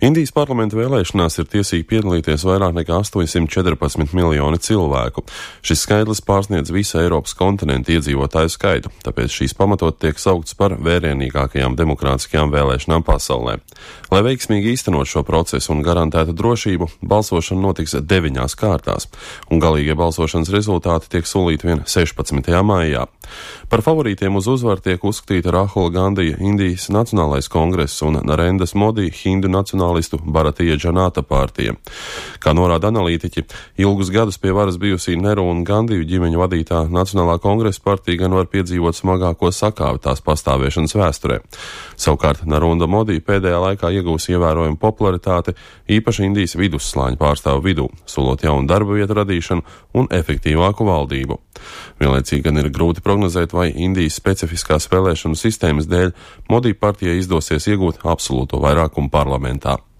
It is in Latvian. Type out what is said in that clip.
Indijas parlamenta vēlēšanās ir tiesīgi piedalīties vairāk nekā 814 miljoni cilvēku. Šis skaitlis pārsniedz visu Eiropas kontinentu iedzīvotāju skaitu, tāpēc šīs pamatot tiek saukts par vērienīgākajām demokrātiskajām vēlēšanām pasaulē. Lai veiksmīgi īstenot šo procesu un garantētu drošību, balsošana notiks 9 kārtās, un galīgie balsošanas rezultāti tiek solīti vien 16. maijā. Par favorītiem uz uzvaru tiek uzskatīta Rahula Gandija Indijas Nacionālais kongress un Narendas Modi Hindu nacionālistu Bharatiya Janata partija. Kā norāda analītiķi, ilgus gadus pie varas bijusī Nehru un Gandiju ģimeņu vadītā Nacionālā kongresa partija gan var piedzīvot smagāko sakāvi tās pastāvēšanas vēsturē. Savukārt Narendra Modi pēdējā laikā iegūs ievērojumu popularitāti, īpaši Indijas vidusslāņu pārstāvu vidū, solot jaunu darba vietu radīšanu un efektīvāku valdību. Vienlaicīgi gan ir grūti prognozēt, vai Indijas specifiskās vēlēšanu sistēmas dēļ Modi partijai izdosies iegūt absolūto vairākumu parlamentā.